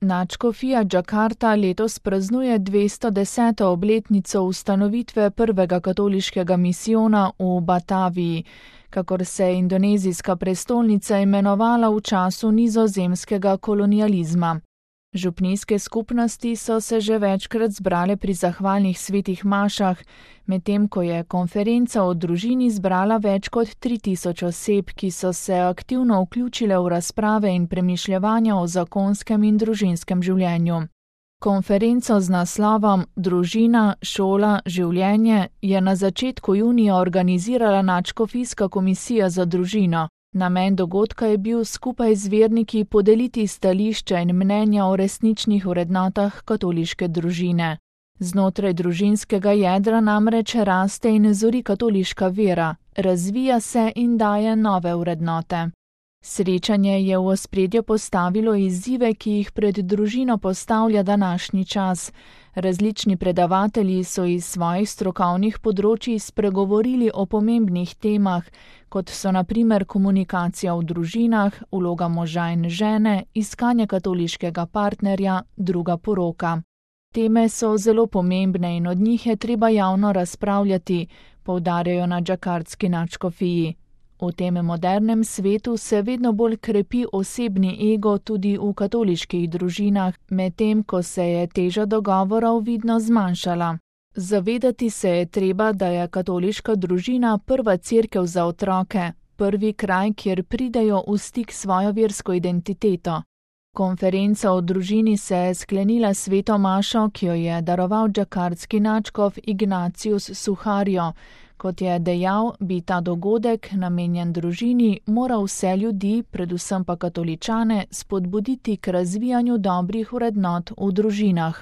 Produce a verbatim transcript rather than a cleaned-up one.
Nadškofija Džakarta letos praznuje dvesto deseto obletnico ustanovitve prvega katoliškega misijona v Bataviji, kakor se je indonezijska prestolnica imenovala v času nizozemskega kolonializma. Župnijske skupnosti so se že večkrat zbrale pri zahvalnih svetih mašah, medtem ko je konferenca o družini zbrala več kot tri tisoč oseb, ki so se aktivno vključile v razprave in premišljevanja o zakonskem in družinskem življenju. Konferenco z naslovom Družina, šola, življenje je na začetku junija organizirala Nadškofijska komisija za družino. Namen dogodka je bil skupaj z verniki podeliti stališča in mnenja o resničnih vrednotah katoliške družine. Znotraj družinskega jedra namreč raste in zori katoliška vera, razvija se in daje nove vrednote. Srečanje je v ospredje postavilo izzive, ki jih pred družino postavlja današnji čas. Različni predavatelji so iz svojih strokovnih področij spregovorili o pomembnih temah, kot so na primer komunikacija v družinah, vloga moža in žene, iskanje katoliškega partnerja, druga poroka. Teme so zelo pomembne in od njih je treba javno razpravljati, poudarjajo na džakartski nadškofiji. V tem modernem svetu se vedno bolj krepi osebni ego tudi v katoliških družinah, medtem ko se je teža dogovorov vidno zmanjšala. Zavedati se je treba, da je katoliška družina prva cerkev za otroke, prvi kraj, kjer pridejo v stik s svojo versko identiteto. Konferenca o družini se je sklenila s sveto mašo, ki jo je daroval džakartski nadškof Ignatius Suharjo. Kot je dejal, bi ta dogodek, namenjen družini, moral vse ljudi, predvsem pa katoličane, spodbuditi k razvijanju dobrih vrednot v družinah.